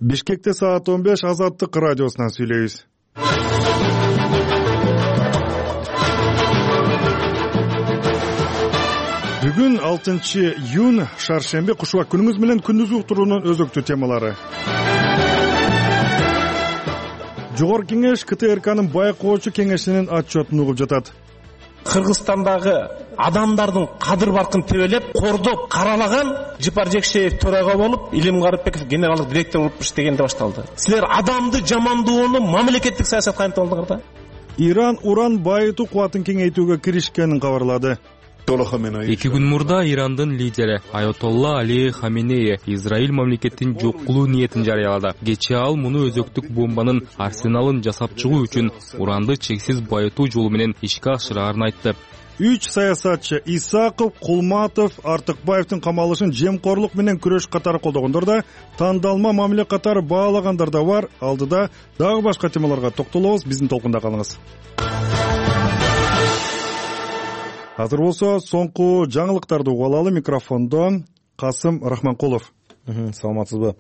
Бишкекте саат 15 Азаттык радиосунан сүйлөйбүз. Бүгүн 6-июнь шаршемби, кушубак күнүңүз менен күндүзгү уктуруунун өзөктүү темалары. Жогорку кеңеш КТРКнын байкоочу кеңешинин отчетун угуп жатат. Кыргызстандагы адамдардын кадыр баркын тебелеп, кордоп, каралаган Жыпар Жекшеев төрага болуп, Илим Карыпбеков генералдык директор болуп иштегенде башталды. Силер адамды жамандоону мамлекеттик саясатка айнтып да. Иран уран байытуу кубатын кеңейтүүгө киришкенин кабарлады. 2 күн мурда Ирандын лидери Айотолла Али Хаменеи Израиль мамлекеттин жок кылуу ниетин жарыялады. Кечээ ал муну өзөктүк бомбанын арсеналын жасап чыгуу үчүн уранды чексиз байытуу жолу менен ишке ашырарын айтты. 3 саясатчы Исаков, Кулматов, Артыкбаевдин камалышын жемкорлук менен күрөш катары колдогондор да, тандалма мамиле катары баалагандар да бар. Алдыда дагы башка темаларга токтолобуз. Биздин толкунда калыңыз. Азыр болсо соңку жаңылыктарды угуп алалы. Микрофондо Касым Рахманкулов. Саламатсызбы?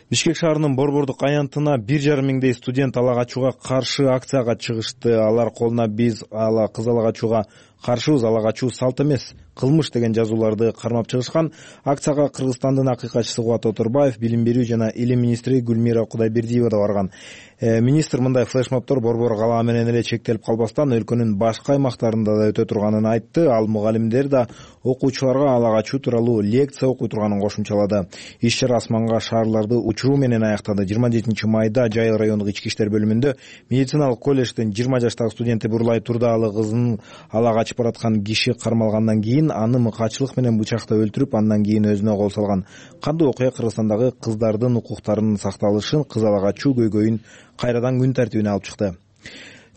Бишкек шаарынын Борбордук аянтына 1,5 миңдей студент ала качууга каршы акцияга чыгышты. Алар колуна "Биз кыз ала качууга каршыбыз, ала качуу салт эмес, кылмыш" деген жазууларды кармап чыгышкан. Акцияга Кыргызстандын акыйкатчысы Кубат Оторбаев, билим берүү жана илим министри Гүлмира Кудайбердиева да барган. Министр мындай флешмобдор борбор калаа менен эле чектелип калбастан, өлкөнүн башка аймактарында да өтө турганын айтты. Ал мугалимдер да окуучуларга ала качуу тууралуу лекция окуй турганын кошумчалады. Иш-чара асманга шаарларды учуруу менен аяктады. 27 майда Жайыл райондук ички иштер бөлүмүндө медициналык колледждин 20 жаштагы студенти бурлай турдагы кызын ала качып бараткан киши кармалгандан кийин аны мыкаачылык менен бычактап өлтүрүп, андан кийин өзүнө кол салган. Кандуу окуя Кыргызстандагы кыздардын укуктарынын сакталышын, кыз ала качуу көйгөйүн кайрадан күн тартибине алып чыкты.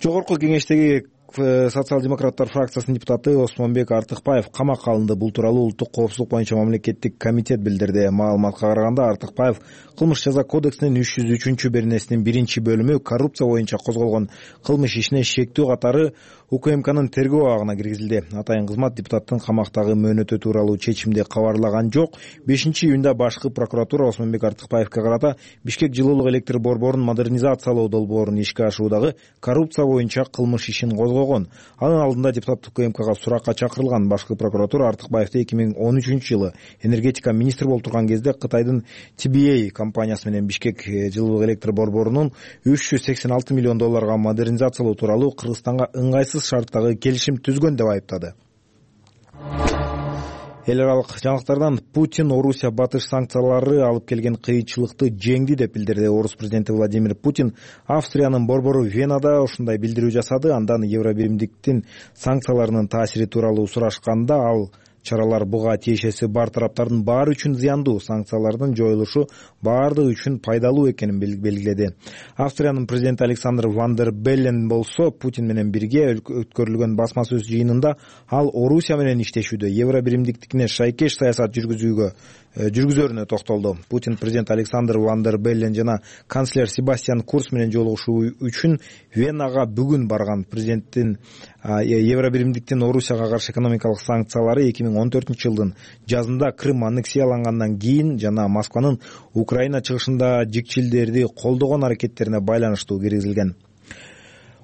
Жогорку кеңештеги социал-демократтар фракциясынын депутаты Осмонбек Артыкбаев камакка алынды. Бул тууралуу Улуттук коопсуздук боюнча мамлекеттик комитет билдирди. Маалыматка караганда, Артыкбаев кылмыш жаза кодексинин 303-беренесинин 1-бөлүмү коррупция боюнча козголгон кылмыш ишине шектүү катары УКМКнын тергөө абагына киргизилди. Атайын кызмат депутаттын камактагы мөөнөтү тууралуу чечимди кабарлаган жок. 5-июнда башкы прокуратура Осмонбек Артыкбаевге карата Бишкек жылуулук электр борборун модернизациялоо долбоорун ишке ашыруудагы коррупция боюнча кылмыш ишин козгогон. Анын алдында депутат УКМКга суракка чакырылган. Башкы прокуратура Артыкбаевди 2013-жылы энергетика министри болуп турган кезде Кытайдын TBA компаниясы менен Бишкек жылуулук электр борборунун 386 миллион долларга модернизациялоо тууралуу Кыргызстанга ыңгайсыз шарттагы келишим түзгөн деп айыптады. Эл аралык жаңылыктардан Путин Орусия батыш санкциялары алып келген кыйынчылыкты жеңди деп билдирди. Орус президенти Владимир Путин Австриянын борбору Венада ушундай билдирүү жасады. Андан Евробиримдиктин санкцияларынын таасири тууралуу сурашканда, ал чаралар буга тиешеси бар тараптардын баары үчүн зыяндуу, санкциялардын жоюлушу баардыгы үчүн пайдалуу экенин белгиледи. Австриянын президенти Александр ван дер Беллен болсо Путин менен бирге өткөрүлгөн басма сөз жыйынында ал Орусия менен иштешүүдө, евробиримдиктикине шайкеш саясат жүргүзөрүнө токтолду. Путин президент Александр ван дер Беллен жана канцлер Себастьян Курц менен жолугушуу үчүн Венага бүгүн барган. Президенттин евробиримдиктин Орусияга каршы экономикалык санкциялары 2014-жылдын жазында Крым аннексиялангандан кийин жана Москванын Украина чыгышында жикчилдерди колдогон аракеттерине байланыштуу киргизилген.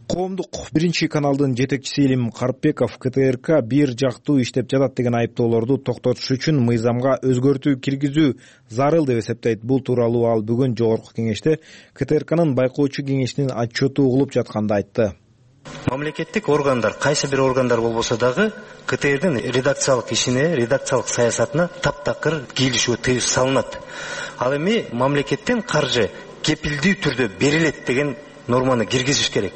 Коомдук 1-каналдын жетекчиси Илим Карыпбеков КТРК бир жактуу иштеп жатат деген айыптоолорду токтотуш үчүн мыйзамга өзгөртүү киргизүү зарыл деп эсептейт. Бул тууралуу ал бүгүн жогорку кеңеште КТРКнын байкоочу кеңешинин отчету угулуп жатканда айтты. Мамлекеттик органдар, кайсы бир органдар болбосо дагы КТРдин редакциялык ишине, редакциялык саясатына таптакыр кийлишүүгө тыюу салынат. Ал эми мамлекеттен каржы кепилдүү түрдө берилет деген норманы киргизиш керек.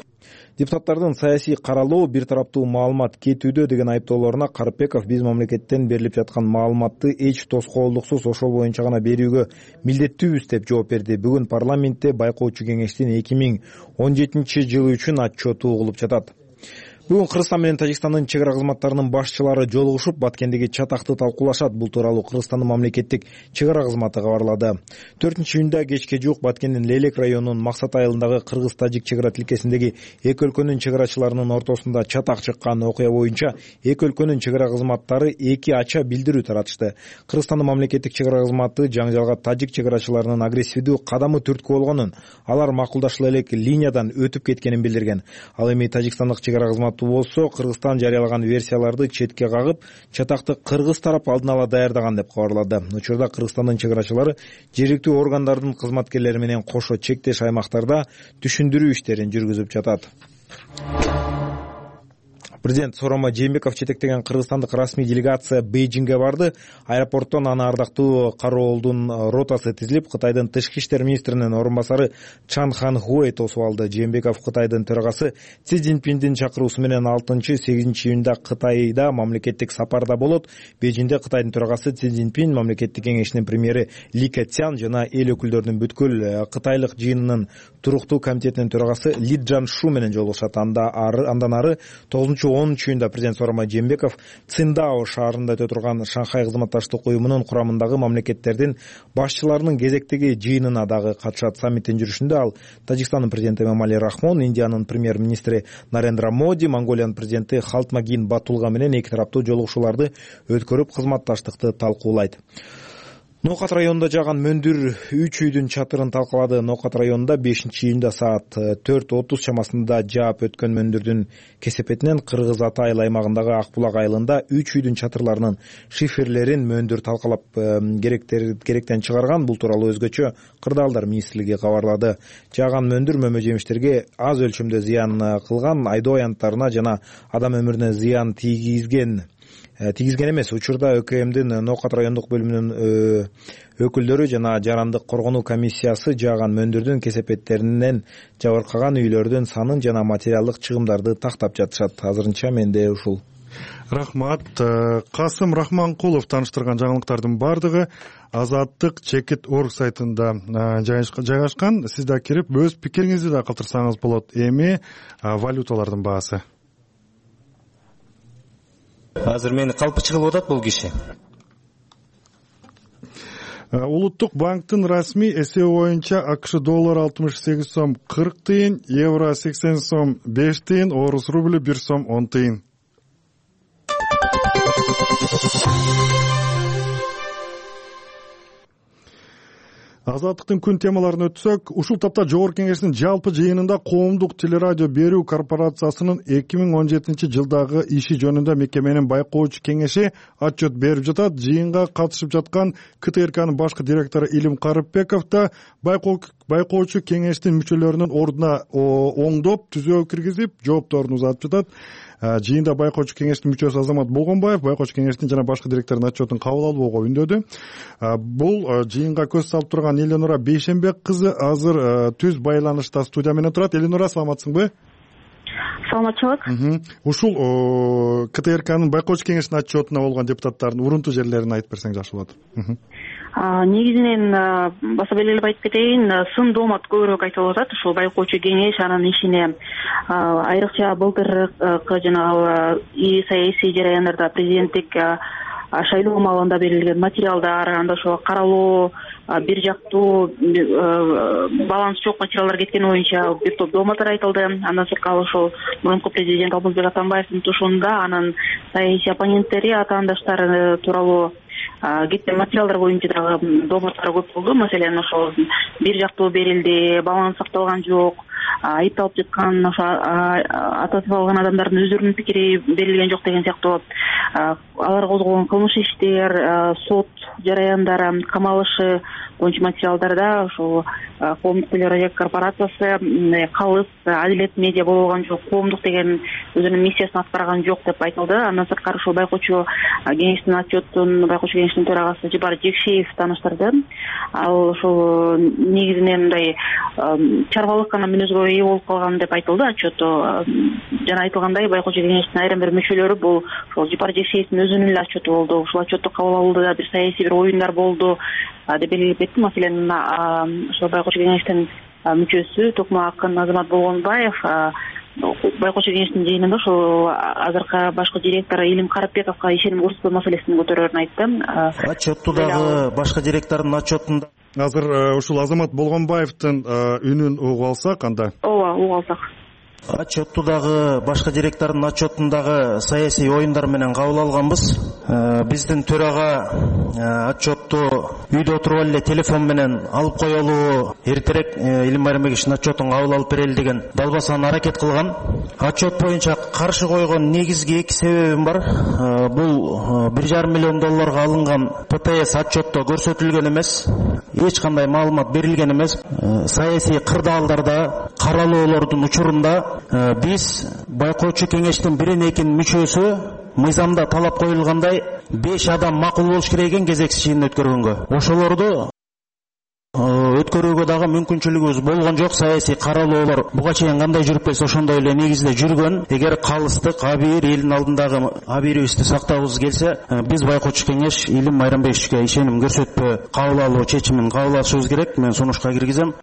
Депутаттардын саясий каралоо, бир тараптуу маалымат кетүүдө деген айыптоолоруна Карыпбеков биз мамлекеттен берилип жаткан маалыматты эч тоскоолдуксуз ошол боюнча гана берүүгө милдеттүүбүз деп жооп берди. Бүгүн парламентте байкоочу кеңештин 2017 жылы үчүн отчету угулуп жатат. Бүгүн Кыргызстан менен Тажикстандын чек ара кызматтарынын башчылары жолугушуп, Баткендеги чатакты талкуулашат. Бул тууралуу Кыргызстандын мамлекеттик чек ара кызматы кабарлады. 4-июнда кечке жуук Баткендин Лелек районунун Максат айылындагы кыргыз-тажик чек ара тилкесиндеги эки өлкөнүн чек арачыларынын ортосунда чатак чыккан окуя боюнча эки өлкөнүн чек ара кызматтары эки ача билдирүү таратышты. Кыргызстандын мамлекеттик чек ара кызматы жаңжалга тажик чек арачыларынын агрессивдүү кадамы түрткү болгонун, алар макулдашыла элек линиядан өтүп кеткенин билдирген. Ал эми Тажикстандык чек ара кызматы болсо Кыргызстан жарыялаган версияларды четке кагып, чатакты кыргыз тарап алдын ала даярдаган деп кабарлады. Учурда Кыргызстандын чек арачылары жергиликтүү органдардын кызматкерлери менен кошо чектеш аймактарда түшүндүрүү иштерин жүргүзүп жатат. Президент Сооронбай Жээнбеков жетектеген кыргызстандык расмий делегация Бейжиңге барды. Аэропорттон аны ардактуу кароолдун ротасы тизилип, Кытайдын тышкы иштер министринин орун басары Чан Хан Хуэй тосуп алды. Жээнбеков Кытайдын төрагасы Си Цзиньпиндин чакыруусу менен 6-8 июнда Кытайда мамлекеттик сапарда болот. Бейжиңде Кытайдын төрагасы Си Цзиньпин, мамлекеттик кеңешинин премьери Ли Кэцян жана эл өкүлдөрүнүн бүткүл кытайлык жыйынынын туруктуу комитетинин төрагасы Ли Джаншу менен жолугушат. Андан ары 9-10 июнда президент Сооронбай Жээнбеков Циндао шаарында өтө турган Шанхай кызматташтык уюмунун курамындагы мамлекеттердин башчыларынын кезектеги жыйынына дагы катышат. Саммиттин жүрүшүндө ал Тажикстандын президенти Эмомали Рахмон, Индиянын премьер-министри Нарендра Моди, Монголиянын президенти Халтмагин Батулга менен эки тараптуу жолугушууларды өткөрүп, кызматташтыкты талкуулайт. Ноокат районунда жааган мөндүр 3 үйдүн чатырын талкалады. Ноокат районунда 5-июнда саат 4:30 чамасында жаап өткөн мөндүрдүн кесепетинен Кыргыз Ата айыл аймагындагы Акбулак айылында 3 үйдүн чатырларынын шиферлерин мөндүр талкалап керектен чыгарган. Бул тууралуу өзгөчө Кырдаалдар министрлиги кабарлады. Жааган мөндүр мөмө жемиштерге аз өлчөмдө зыян кылган, айдоо аянттарына жана адам өмүрүнө зыян тийгизген эмес. Учурда ÖKMдин Ноокат райондук бөлүмүнүн өкүлдөрү жана жарандык коргонуу комиссиясы жааган мөндүрдүн кесепеттеринен жабыркаган үйлөрдүн санын жана материалдык чыгымдарды тактап жатышат. Азырынча менде ушул. Рахмат. Касым Рахманкулов тааныштырган жаңылыктардын бардыгы Азаттык Чекит.org сайтында жайгашкан. Сиз да кирип өз пикириңизди да калтырсаңыз болот. Эми валюталардын баасы. Азыр мени калпычы кылып атат бул киши. Улуттук банктын расмий эсеби боюнча АКШ доллары 68 сом 40 тыйын, евро 80 сом 5 тыйын, орус рубль 1 сом 10 тыйын. Азаттыктын күн темаларын өтсөк, ушул тапта Жогорку Кеңештин жалпы жыйынында Коомдук телерадио берүү корпорациясынын 2017 жылдагы иши жөнүндө мекеменин байкоочу кеңеши отчет берип жатат. Жыйынга катышып жаткан КТРКнын башкы директору Илим Карыпбеков да байкоочу кеңештин мүчөлөрүнүн ордуна оңдоп, түзөө киргизип, жоопторун узатып жатат. Жыйында байкоочу кеңештин мүчөсү Азамат Болгонбаев байкоочу кеңештин жана башкы директордун отчетун кабыл алууга үндөдү. Бул жыйынга көз салып турган Эленора Бейшенбек кызы азыр түз байланышта студия менен турат. Эленора, саламатсыңбы? Саламатчылык. Ушул КТРКнын байкоочу кеңештин отчетуна болгон депутаттардын урунтуу жерлерин айтып берсең жакшы болот. Негизинен баса белгилеп айтып кетейин, сын доомат көбүрөөк айтылып атат ушул байкоочу кеңеш анын ишине. Айрыкча былтыркы жанагы саясий жараяндарда президенттик шайлоо маалында берилген материалдар, анда ошо каралуу, бир жактуу баланс жок материалдар кеткени боюнча бир топ дооматтар айтылды. Андан сырткары ошол мурунку президент Алмазбек Атамбаевдин тушуунда анын саясий оппоненттери, атаандаштары тууралуу кеткен материалдар боюнча дагы дооматтар көп болду. Маселен, ошол бир жактуу берилди, баланс сакталган жок, айыпталып жаткан ошо ататып алган адамдардын өздөрүнүн пикири берилген жок деген сыяктуу алар козголгон кылмыш иштер, сот жараяндары, камалышы боюнча материалдарда ошол Коомдук телерадио корпорациясы калыс, адилет медиа боло алган жок, коомдук деген өзүнүн миссиясын аткарган жок деп айтылды. Андан сырткары ошол байкоочу кеңештин отчетун байкоочу кеңештин төрагасы Жибар Жекшеев тааныштырды. Ал ошол негизинен мындай чарбалык гана мүнөзгө ээ болуп калган деп айтылды отчету. Жана айтылгандай, байкоочу кеңештин айрым бир мүчөлөрү бул ошол Жибар Жекшеевдин өзүнүн эле отчету болду. Ушул отчетту кабыл алууда бир саясий бир оюндар болду деп белгилеп кетти. Маселен, ошол байкоочу кеңештин мүчөсү Токмо Акын Азамат Болгонбаев байкоочу кеңештин жыйынында ошол азыркы башкы директор Илим Карапбековго ишеним көрсөтпөө маселесин көтөрөрүн айтты. Отчетту дагы башкы директордун отчетунда азыр ушул Азамат Болгонбаевдин үнүн угуп алсак анда. Ооба, угуп алсак. Отчетту дагы башкы директордун отчетундагы саясий оюндар менен кабыл алганбыз. Биздин төрага отчетту үйдө отуруп эле телефон менен алып коелу, эртерээк Илим Майрамбековичтин отчетун кабыл алып берели деген далбасаны аракет кылган. Отчет боюнча каршы койгон негизги эки себебим бар. Бул $1,5 миллион алынган ПТС отчетто көрсөтүлгөн эмес, эч кандай маалымат берилген эмес. Саясий кырдаалдарда, каралоолордун учурунда биз байкоочу кеңештин 1-2 мүчөсү мыйзамда талап коюлгандай 5 адам макул болуш керек экен кезексиз жыйын өткөргөнгө. Ошолорду өткөрүүгө дагы мүмкүнчүлүгүбүз болгон жок. Саясий каралоолор буга чейин кандай жүрүп келсе ошондой эле негизде жүргөн. Эгер калыстык абийир элдин алдындагы абийирибизди сактагыбыз келсе, биз байкоочу кеңеш Илим Майрамбековичке ишеним көрсөтпөө кабыл алуу чечимин кабыл алышыбыз керек. Мен сунушка киргизем.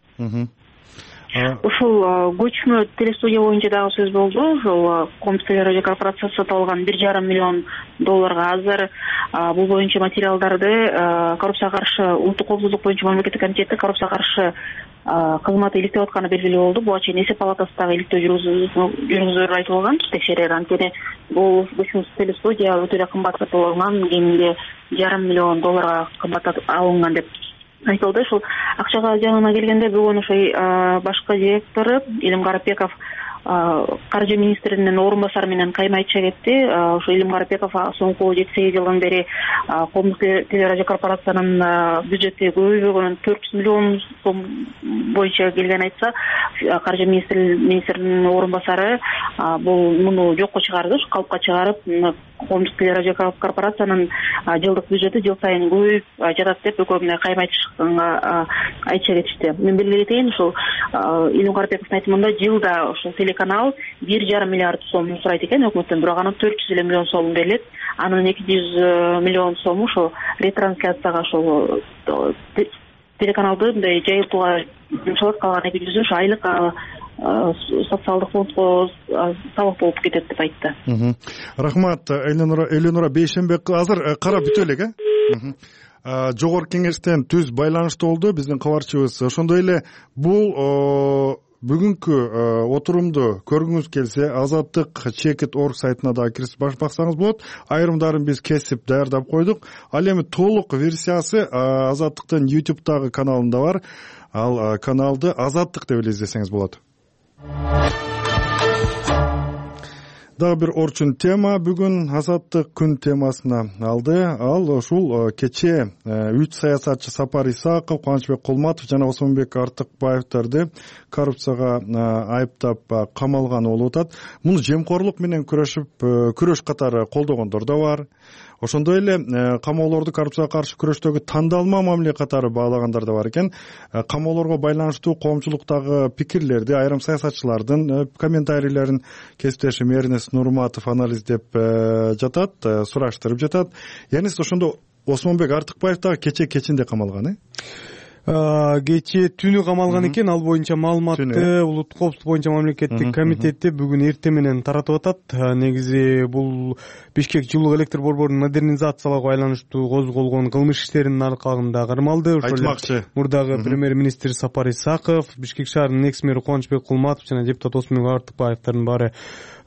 Ушул көчмө телестудия боюнча дагы сөз болду. Ошол Коомдук телерадио корпорациясы сатып алган $1,5 миллион азыр бул боюнча материалдарды коррупцияга каршы улуттук коопсуздук боюнча мамлекеттик комитети коррупцияга каршы кызматы иликтеп атканы белгилүү болду. Буга чейин эсеп палатасы дагы иликтөө жүргүзөөрү айтылган, текшерер. Анткени бул көчмө телестудия өтө эле кымбат сатып алынган, кеминде $1,5 миллион кымбат алынган деп айтылды. Ушул акчага жагына келгенде бүгүн ошо башкы директору Илим Карапбеков каржы министринин орун басары менен кайма айтыша кетти. Ошо Илим Карапбеков соңку 7-8 жылдан бери Коомдук телерадио корпорациянын бюджети көбөйбөгөнүн 400 миллион сом боюнча келген айтса, каржы министринин орун басары бул муну жокко чыгарды, калпка чыгарып, Коомдук телерадио корпорациянын жылдык бюджети жыл сайын көбөйүп жатат деп экөө кайма айтыша кетишти. Мен белгилетейин, ушул Илим Карапбековдун айтымында жылда ушул телеканал $1,5 миллиард сом сурайт экен өкмөттөн, бирок анын 400 миллион сом берилет. Анын 200 миллион сому ошол ретрансляцияга, ошол телеканалды мындай жайылтууга жумшалат, калган 200 ошо айлык социалдык фондго салык болуп кетет деп айтты. Рахмат, Элинура Бейшенбек. Азыр карап бүтө элек, Жогорку кеңештен түз байланышта болду биздин кабарчыбыз. Ошондой эле бул бүгүнкү отурумду көргүңүз келсе, Азаттык Чекит.org сайтына да кирип баксаңыз болот. Айрымдарын биз кесип даярдап койдук. Ал эми толук версиясы Азаттыктын YouTube'дагы каналында бар. Ал каналды Азаттык деп эле издесеңиз болот. Дагы бир орчун тема бүгүн Азаттык күн темасына алды. Ал ушул кечээ 3 саясатчы Сапар Исаков, Кубанычбек Кулматов жана Осмонбек Артыкбаевдарды коррупцияга айыптап камалган болуп атат. Муну жемкорлук менен күрөш катары колдогондор да бар. Ошондой эле камоолорду коррупцияга каршы күрөштөгү тандалма мамиле катары баалагандар да бар экен. Камоолорго байланыштуу коомчулуктагы пикирлерди айрым саясатчылардын комментарийлерин кесиптешим Эрнест Нурматов анализдеп жатат, сураштырып жатат. Янис ошондо Осмонбек Артыкбаев дагы кечинде камалган, Кечээ түнү камалган экен. Ал боюнча маалыматты улуттук коопсуздук боюнча мамлекеттик комитети бүгүн эртең менен таратып атат. Негизи бул Бишкек жылуу электр борборунун модернизациялоого байланыштуу козголгон кылмыш иштеринин аркалыгында кармалды. Айтмакчы мурдагы премьер-министр Сапар Исаков, Бишкек шаарынын экс-мэри Кубанычбек Кулматов жана депутат Осмонбек Артыкбаевдардын баары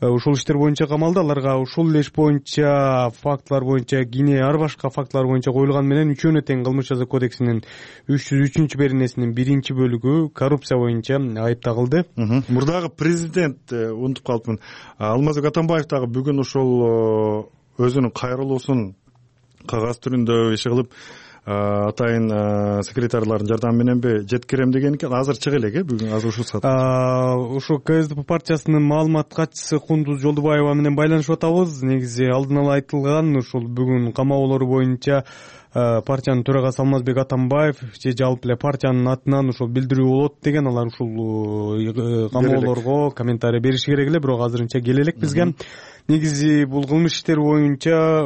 ушул иштер боюнча камалды. Аларга ушул иш боюнча фактылар боюнча кийин ар башка фактылар боюнча коюлган менен үчөөнө тең кылмыш жаза кодексинин 303 беренесинин 1-бөлүгү коррупция боюнча айып тагылды. Мурдагы президент унутуп калыпмын. Алмазбек Атамбаев дагы бүгүн ошол өзүнүн кайрылуусун кагаз түрүндө иши кылып атайын секретарлардын жардамы мененби жеткирем деген экен. Азыр чыга элек бүгүн азыр ушул саат. Ушу КСДП партиясынын маалымат катчысы Кундуз Жолдубаева менен байланышып атабыз. Негизи алдын ала айтылган ушул бүгүн камоолору боюнча партиянын төрагасы Алмазбек Атамбаев же жалпы эле партиянын атынан ушул билдирүү болот деген. Алар ушул камоолорго комментарий бериши керек эле, бирок азырынча келе элек бизге. Негизи бул кылмыш иштери боюнча,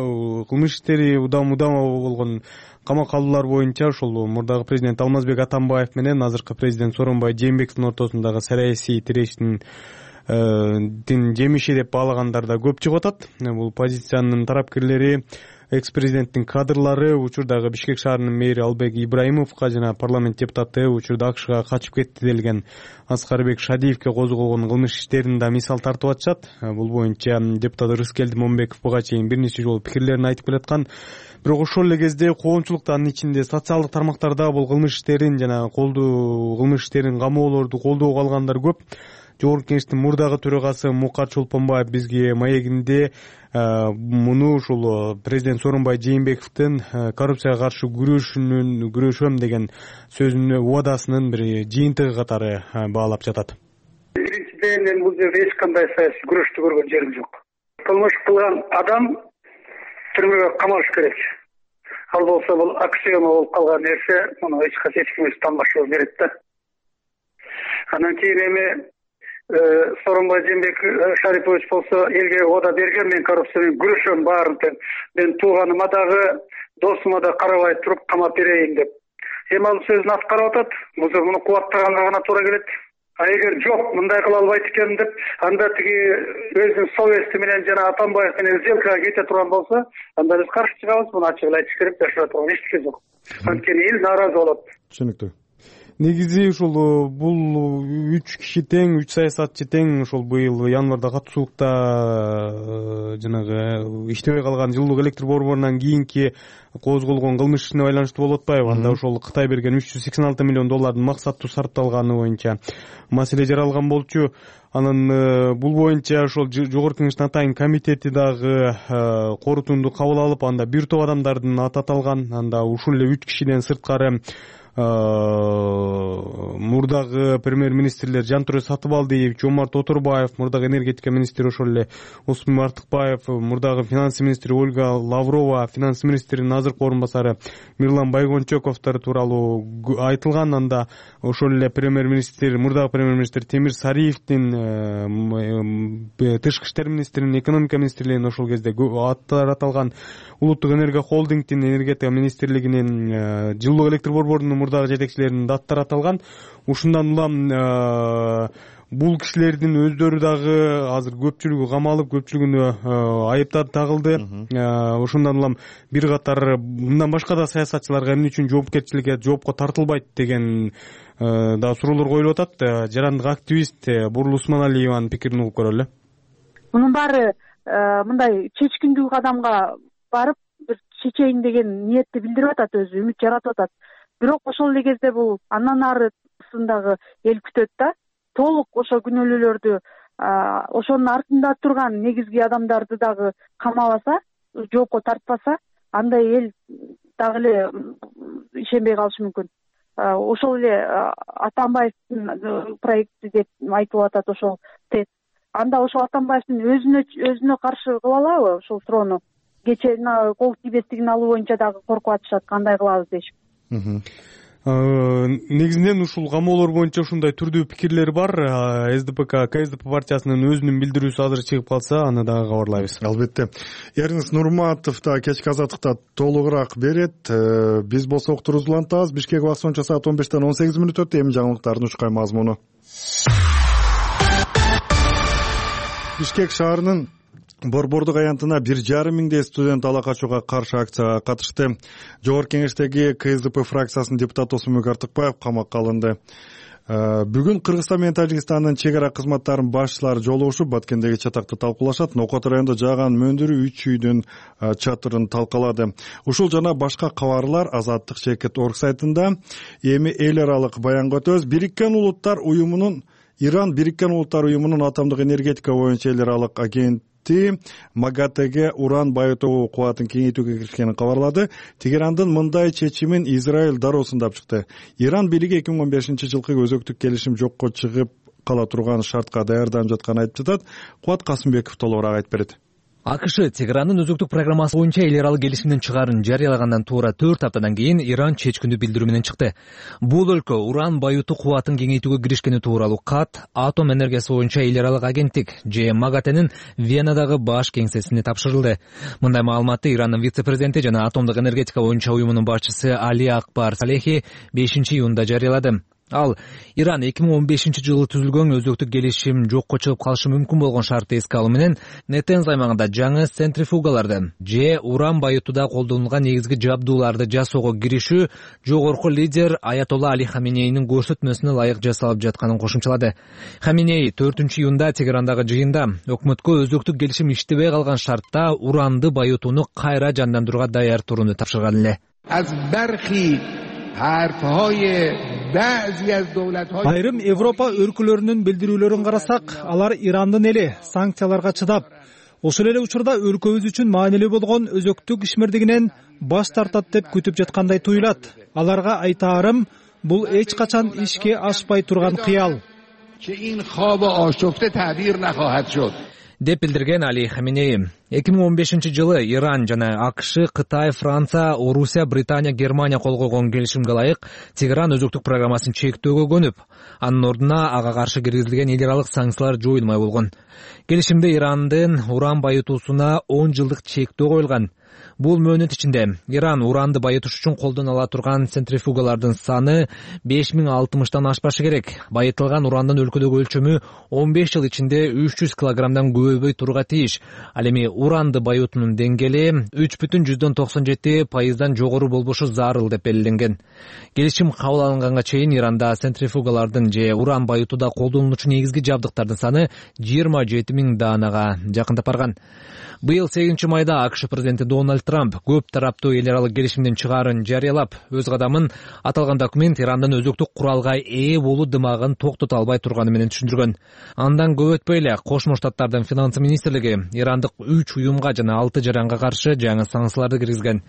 кылмыш иштери удам болгон камак алуулар боюнча ушул мурдагы президент Алмазбек Атамбаев менен азыркы президент Сооронбай Жээнбековдун ортосундагы саясий тирештин жемиши деп баалагандар да көп чыгып атат. Бул позициянын тарапкерлери экс-президенттин кадрлары учурдагы Бишкек шаарынын мэри Албек Ибраимовго жана парламент депутаты учурда АКШга качып кетти делген Аскарбек Шадиевке козголгон кылмыш иштерин да мисал тартып атышат. Бул боюнча депутат Рыскелди Момбеков буга чейин бир нече жолу пикирлерин айтып келаткан. Бирок ошол эле кезде коомчулукта, анын ичинде социалдык тармактарда бул кылмыш иштерин жана кылмыш иштерин камоолорду колдоого алгандар көп. Жогорку Кеңештин мурдагы төрагасы Мукат Чолпонбаев бизге маегинде муну ушул президент Сооронбай Жээнбековдун коррупцияга каршы күрөшөм деген сөзүнүн убадасынын бир жыйынтыгы катары баалап жатат. Биринчиден, мен бул жерде эч кандай саясий күрөштү көргөн жерим жок. Кылмыш кылган адам түрмөгө камалыш керек. Ал болсо бул аксиома болуп калган нерсе, муну эч ким танбашыбы берет да. Анан кийин эми Сооронбай Жээнбеков Шарипович болсо элге ода берген, мен коррупция менен күрөшөм баарын деп. Мен тууганыма дагы, досума да карабай туруп камап берейин деп. Эми ал сөзүн аткарып атат. Муну кубаттаганга гана туура келет. А эгер жок, мындай кыла албайт экен деп, анда тиги өзүнүн совести менен жана Атамбаев менен сделкага кете турган болсо, анда биз каршы чыгабыз. Муну ачык эле айтыш керек, жашап турган эч нерсе жок. Анткени эл нааразы болот. Түшүнүктүү. Негизи ушул бул 3 киши тең, 3 саясатчы тең ушул быйыл январда катышуулукта жанагы иштебей калган жылуулук электр борборунан кийинки козголгон кылмыш ишине байланыштуу болуп атпайбы? Анда ошол Кытай берген $386 миллион максаттуу сарпталганы боюнча маселе жаралган болчу. Анан бул боюнча ошол Жогорку Кеңештин атайын комитети дагы корутунду кабыл алып, анда бир топ адамдардын аты аталган. Анда ушул эле 3 кишиден сырткары мурдагы премьер-министрлер Жантүрө Сатыбалдиев, Жомарт Оторбаев, мурдагы энергетика министри ошол эле Осмон Артыкбаев, мурдагы финанс министри Ольга Лаврова, финанс министринин азыркы орун басары Мирлан Байгончоковдор тууралуу айтылган. Анда ошол эле премьер-министр, мурдагы премьер-министр Темир Сариевдин, тышкы иштер министринин, экономика министрлигинин ошол кезде аттары аталган. Улуттук энергия холдингдин, энергетика министрлигинин, жылуулук электр борборунун мурдагы жетекчилеринин аттары аталган. Ушундан улам бул кишилердин өздөрү дагы азыр көпчүлүгү камалып, көпчүлүгүнө айыптар тагылды. Ошондон улам бир катар мындан башка да саясатчыларга эмне үчүн жоопко тартылбайт деген да суроолор коюлуп атат. Жарандык активист Бурул Усманалиеванын пикирин угуп көрөлү. Мунун баары мындай чечкиндүү кадамга барып бир чечейин деген ниетти билдирип атат, өзү үмүт жаратып атат. Бирок ошол эле кезде бул андан арысындагы эл күтөт да. Толук ошо күнөөлүүлөрдү, ошонун артында турган негизги адамдарды дагы камабаса, жоопко тартпаса, андай эл дагы эле ишенбей калышы мүмкүн. Ошол эле Атамбаевдин проекти деп айтылып атат, ошол ТЭЦ. Анда ошол Атамбаевдин өзүнө каршы кыла алабы ошол суроону? Кечээ кол тийбестигин алуу боюнча дагы коркуп атышат, кандай кылабыз дешип. Негизинен ушул камоолор боюнча ушундай түрдүү пикирлер бар. СДПК, КСДП партиясынын өзүнүн билдирүүсү азыр чыгып калса, аны дагы кабарлайбыз. Албетте. Эрнис Нурматов да кечки азаттыкта толугураак берет. Биз болсо уктуруубузду улантабыз. Бишкек убакыты боюнча саат 15-тен 18 мүнөт өттү. Эми жаңылыктардын учкай мазмуну. Бишкек шаарынын Борбордук аянтына 1,5 миңдей студент ала качууга каршы акцияга катышты. Жогорку Кеңештеги КСДП фракциясынын депутаты Осмон Артыкбаев камакка алынды. Бүгүн Кыргызстан менен Тажикстандын чек ара кызматтарынын башчылары жолугушуп, Баткендеги чатакты талкуулашат. Нокот районунда жааган мөндүрүү 3 үйдүн чатырын талкалады. Ушул жана башка кабарлар Азаттык Шекет орг сайтында. Эми эл аралык баянга өтөбүз. Иран Бириккен Улуттар уюмунун атомдук энергетика боюнча эл аралык агенти МАГАТЭге уран байытуу кубатын кеңейтүүгө киришкенин кабарлады. Тегерандын мындай чечимин Израиль дароо сындап чыкты. Иран бийлиги 2015-жылкы өзөктүк келишим жокко чыгып кала турган шартка даярданып жатканын айтып жатат. Кубат Касымбеков толугураак айтып берет. АКШ Тегерандын өзөктүк программасы боюнча эл аралык келишимдин чыгаарын жарыялагандан туура 4 аптадан кийин Иран чечкиндүү билдирүү менен чыкты. Бул өлкө уран байытуу кубатын кеңейтүүгө киришкени тууралуу кат атом энергиясы боюнча эл аралык агенттик МАГАТЭнин Венадагы баш кеңсесине тапшырылды. Мындай маалыматты Ирандын вице-президенти жана атомдук энергетика боюнча уюмунун башчысы Али Акбар Салехи 5-июнда жарыялады. Ал Иран 2015-жылы түзүлгөн өзөктүк келишим жокко чыгып калышы мүмкүн болгон шартты эске алуу менен Нетенз аймагында жаңы центрифугаларды же уран байытууда колдонулган негизги жабдууларды жасоого киришүү жогорку лидер Аятолла Али Хаменейнин көрсөтмөсүнө ылайык жасалып жатканын кошумчалады. Хаменей 4-июнда Тегерандагы жыйында өкмөткө өзөктүк келишим иштебей калган шартта уранды байытууну кайра жандандырууга даяр турууну тапшырган эле. Айрым Европа өлкөлөрүнүн билдирүүлөрүн карасак, алар Ирандын эли санкцияларга чыдап, ошол эле учурда өлкөбүз үчүн маанилүү болгон өзөктүк ишмердигинен баш тартат деп күтүп жаткандай туюлат. Аларга айтаарым, бул эч качан ишке ашпай турган кыял. Деп билдирген Али Хаменей. 2015-жылы Иран жана АКШ, Кытай, Франция, Орусия, Британия, Германия кол койгон келишимге ылайык Тегеран өзөктүк программасын чектөөгө көнүп, анын ордуна ага каршы киргизилген эл аралык санкциялар жоюлмай болгон. Келишимде Ирандын уран байытуусуна 10 жылдык чектөө коюлган. Бул мөөнөт ичинде Иран уранды байытыш үчүн колдоно ала турган центрифугалардын саны 5060 ашпашы керек. Байытылган урандын өлкөдөгү өлчөмү 15 жыл ичинде 300 килограммдан көбөйбөй турууга тийиш. Ал эми уранды байытуунун деңгээли 3,97% жогору болбошу зарыл деп белгиленген. Келишим кабыл алынганга чейин Иранда центрифугалардын же уран байытууда колдонулуучу негизги жабдыктардын саны 27 000 даанага жакындап барган. Быйыл 8 майда АКШ президенти Дональд Трамп көп тараптуу эл аралык келишимдин чыгаарын жарыялап, өз кадамын аталган документ Ирандын өзөктүк куралга ээ болуу дымагын токтото албай турганы менен түшүндүргөн. Андан көп өтпөй эле Кошмо Штаттардын финансы министрлиги ирандык 3 уюмга жана 6 жаранга каршы жаңы санкцияларды киргизген.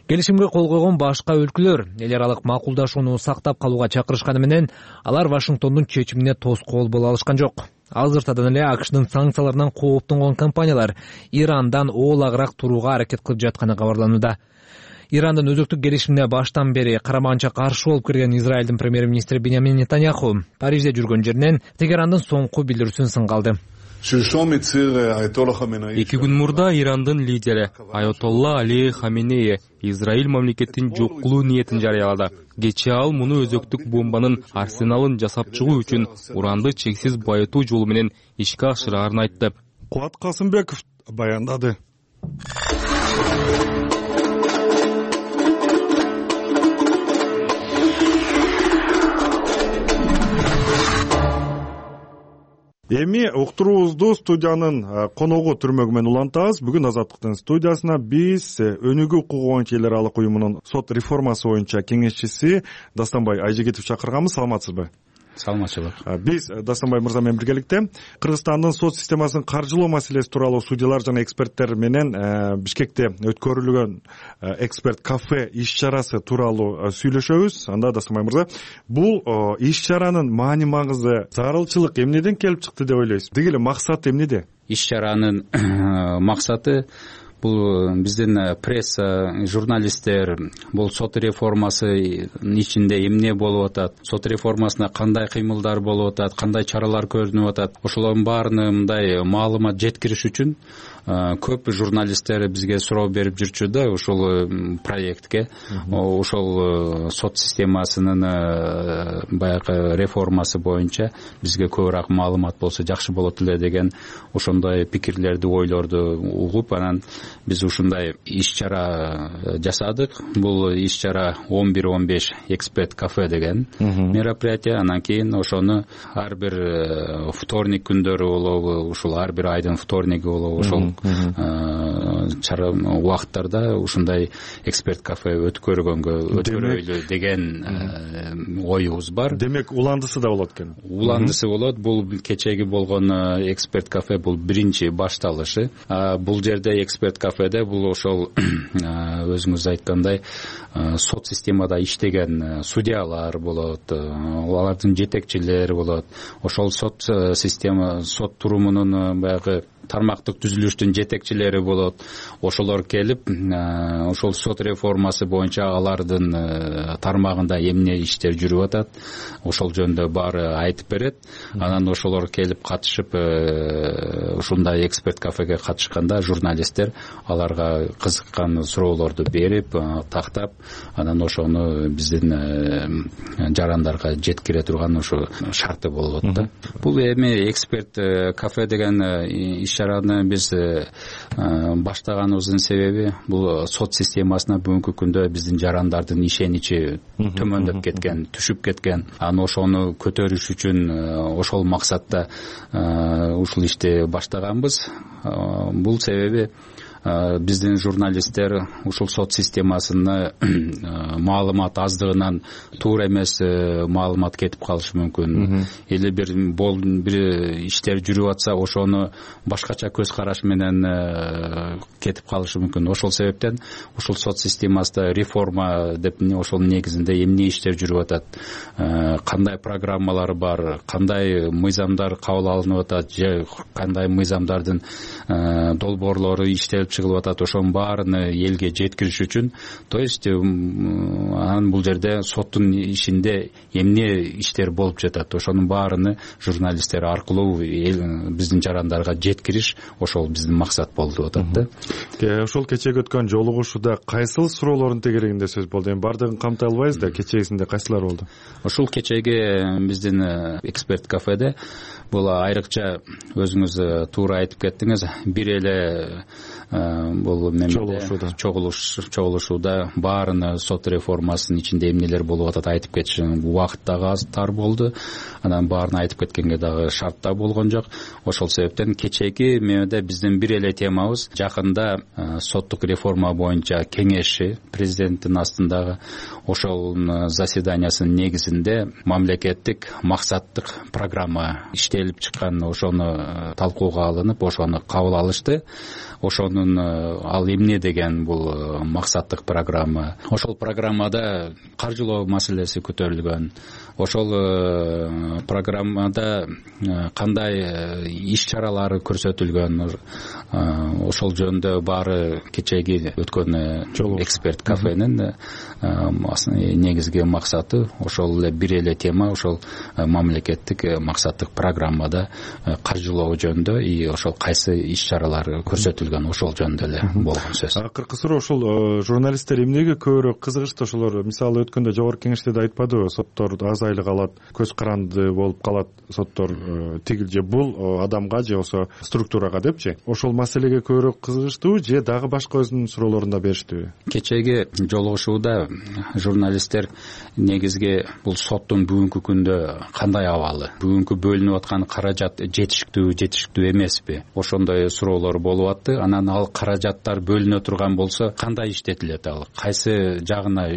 Келишимге кол койгон башка өлкөлөр эл аралык макулдашууну сактап калууга чакырышканы менен алар Вашингтондун чечимине тоскоол боло алышкан жок. Азыртадан эле АКШдын санкцияларынан кооптонгон компаниялар Ирандан оолагыраак турууга аракет кылып жатканы кабарланууда. Ирандын өзөктүк келишимине баштан бери караманча каршы болуп кирген Израилдин премьер-министри Биньямин Нетаньяху Парижде жүргөн жеринен Тегерандын соңку билдирүүсүн сынга алды. 2 күн мурда Ирандын лидери Аятолла Али Хаменей Израиль мамлекетин жок кылуу ниетин жарыялады. Кечээ ал муну өзөктүк бомбанын арсеналын жасап чыгуу үчүн уранды чексиз байытуу жолу менен ишке ашырарын айтты. Кубат Касымбеков баяндады. Эми уктуруубузду студиянын коногу түрмөгү менен улантабыз. Бүгүн Азаттыктын студиясына биз Өнүгүү укугу боюнча эл аралык уюмунун сот реформасы боюнча кеңешчиси Дастанбай Айжегитов чакырганбыз. Саламатсызбы? Саламатчылык. Биз Дастанбай мырза менен биргеликте Кыргызстандын сот системасын каржылоо маселеси тууралуу судьялар жана эксперттер менен Бишкекте өткөрүлгөн эксперт кафе иш чарасы тууралуу сүйлөшөбүз. Анда Дастанбай мырза, бул иш чаранын маани магызы, зарылчылык эмнеден келип чыкты деп ойлойсуз? Деги эле максаты эмнеде? Иш чаранын максаты бул биздин пресса, журналисттер бул сот реформасы ичинде эмне болуп атат, сот реформасына кандай кыймылдар болуп атат, кандай чаралар көрүнүп атат, ошолордун баарына мындай маалымат жеткириш үчүн көп журналисттер бизге суроо берип жүрчү да ушул проектке. Ошол сот системасынын баягы реформасы боюнча бизге көбүрөөк маалымат болсо жакшы болот эле деген ошондой пикирлерди, ойлорду угуп, анан биз ушундай иш чара жасадык. Бул иш чара 11-15 эксперт кафе деген мероприятие. Анан кийин ошону ар бир вторник күндөрү болобу, ушул ар бир айдын вторниги болобу, ошол чара убакыттарда ушундай эксперт кафе өткөрөйлү деген оюбуз бар. Демек уландысы да болот экен. Уландысы болот. Бул кечеги болгон эксперт кафе бул биринчи башталышы. Бул жерде эксперт кафеде бул ошол өзүңүз айткандай сот системада иштеген судьялар болот, алардын жетекчилери болот. Ошол сот система, сот турумунун баягы тармактык түзүлүштүн жетекчилери болот. Ошолор келип ошол сот реформасы боюнча алардын тармагында эмне иштер жүрүп атат, ошол жөнүндө баары айтып берет. Анан ошолор келип катышып ушундай эксперт кафеге катышканда журналисттер аларга кызыккан суроолорду берип, тактап, анан ошону биздин жарандарга жеткире турган ошо шарты болот да. Бул эми эксперт кафе деген иш-чараны биз баштаганыбыздын себеби бул сот системасына бүгүнкү күндө биздин жарандардын ишеничи төмөндөп кеткен, түшүп кеткен. Аны ошону көтөрүш үчүн ошол максатта ушул ишти баштаганбыз. Бул себеби биздин журналисттер ушул сот системасына маалымат аздыгынан туура эмес маалымат кетип калышы мүмкүн. Или бир иштер жүрүп атса, ошону башкача көз караш менен кетип калышы мүмкүн. Ошол себептен ушул сот системасында реформа деп ошол негизинде эмне иштер жүрүп атат, кандай программалар бар, кандай мыйзамдар кабыл алынып атат, же кандай мыйзамдардын долбоорлору иштелип чыгылып атат, ошонун баарын элге жеткириш үчүн, то есть анан бул жерде соттун ишинде эмне иштер болуп жатат, ошонун баарыны журналисттер аркылуу биздин жарандарга жеткириш, ошол биздин максат болуп атат да. Ошол кечеги өткөн жолугушууда кайсыл суроолордун тегерегинде сөз болду? Эми баардыгын камтай албайбыз да, кечегисинде кайсылар болду? Ушул кечеги биздин эксперт кафеде бул айрыкча өзүңүз туура айтып кеттиңиз, бир эле бул чогулушууда баарыны сот реформасынын ичинде эмнелер болуп атат айтып кетиш убакыт дагы аз тар болду. Анан баарын айтып кеткенге дагы шарт да болгон жок. Ошол себептен кечеги мээде биздин бир эле темабыз жакында соттук реформа боюнча кеңеши президенттин астындагы ошол заседаниясынын негизинде мамлекеттик максаттык программа иштелип чыккан, ошону талкууга алынып, ошону кабыл алышты. Ошонун ал эмне деген бул максаттык программа. Ошол программада каржылоо маселеси көтөрүлгөн. Ошол программада кандай иш-чаралар көрсөтүлгөн, ошол жөнүндө баары кечеги өткөн эксперт кафенин негизги максаты ошол эле бир эле тема, ошол мамлекеттик максаттык программада каржылоо жөнүндө и ошол кайсы иш-чаралар көрсөтүлгөн, ошол жөнүндө эле болгон сөз. Акыркы суроо ошол журналисттер эмнеге көбүрөөк кызыгышты? Ошолор мисалы өткөндө жогорку кеңеште да айтпадыбы, соттор аз айлык алат, көз каранды болуп калат соттор, тигил же бул адамга же болсо структурага депчи. Ошол маселеге көбүрөөк кызыгыштыбы же дагы башка өзүнүн суроолорун да бериштиби? Кечеги жолугушууда журналисттер негизги бул соттун бүгүнкү күндө кандай абалы, бүгүнкү бөлүнүп аткан каражат жетиштүү эмеспи, ошондой суроолор болуп атты. Анан ал каражаттар бөлүнө турган болсо кандай иштетилет, ал кайсы жагына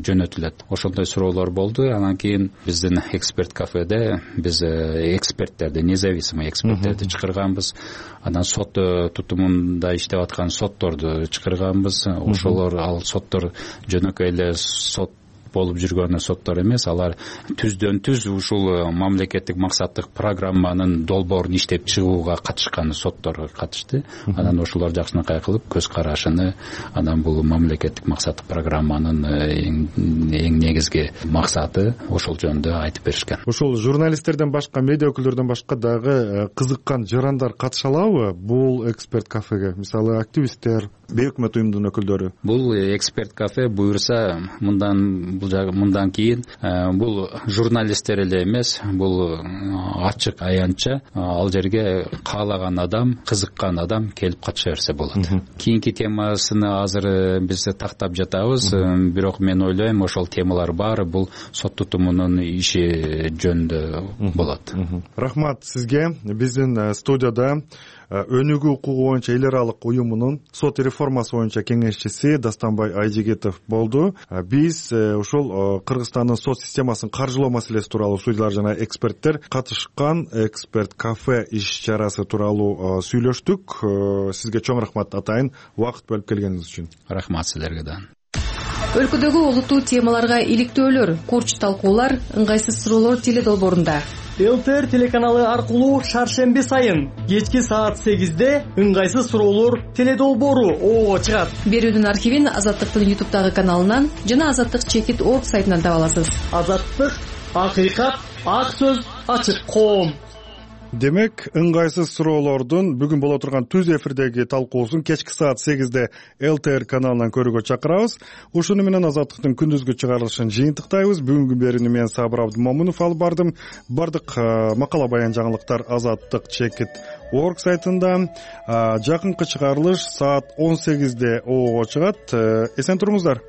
жөнөтүлөт, ошондой суроолор болду. Анан кийин биздин эксперт кафеде биз эксперттерди, независимый эксперттерди чакырганбыз. Анан сот тутумунда иштеп аткан сотторду чакырганбыз. Ошолор, ал соттор жөнөкөй эле сот болуп жүргөн соттор эмес, алар түздөн түз ушул мамлекеттик максаттык программанын долбоорун иштеп чыгууга катышкан соттор катышты. Анан ошолор жакшынакай кылып көз карашыны, анан бул мамлекеттик максаттык программанын эң негизги максаты ошол жөнүндө айтып беришкен. Ошол журналисттерден башка, медиа өкүлдөрдөн башка дагы кызыккан жарандар катыша алабы бул эксперт кафеге? Мисалы активисттер, бейөкмөт уюмдун өкүлдөрү. Бул эксперт кафе буюрса мындан кийин бул журналисттер эле эмес, бул ачык аянтча ал жерге каалаган адам, кызыккан адам келип катыша берсе болот. Кийинки темасыны азыр биз тактап жатабыз, бирок мен ойлойм ошол темалар баары бул сот тутумунун иши жөнүндө болот. Рахмат сизге. Биздин студияда өнүгүү укугу боюнча эл аралык уюмунун сот реформасы боюнча кеңешчиси Дастанбай Айжигитов болду. Биз ошол Кыргызстандын сот системасын каржылоо маселеси тууралуу судьялар жана эксперттер катышкан эксперт кафе иш-чарасы тууралуу сүйлөштүк. Сизге чоң рахмат атайын, убакыт бөлүп келгениңиз үчүн. Рахмат силерге да. Өлкөдөгү олуттуу темаларга иликтөөлөр, курч талкуулар, ыңгайсыз суроолор теле долбоорунда. ЛТР телеканалы аркылуу шаршемби сайын кечки саат 8-де ыңгайсыз суроолор теледолбоору ого чыгат. Берүүнүн архивин Азаттыктын YouTube каналынан жана Азаттык.org сайтынан таба аласыз. Азаттык, акыйкат, ак сөз, ачык коом. Демек, ыңгайсыз суроолордун бүгүн боло турган түз эфирдеги талкуусун кечки саат 8-де ЛТР каналынан көрүүгө чакырабыз. Ушуну менен Азаттыктын күндүзгү чыгарылышын жыйынтыктайбыз. Бүгүнкү берүүнү мен Сабыр Абдымомунов алып бардым. Бардык макала баян жаңылыктар Азаттык.org сайтында. Жакынкы чыгарылыш саат 18-де ого чыгат. Эсен туруңуздар.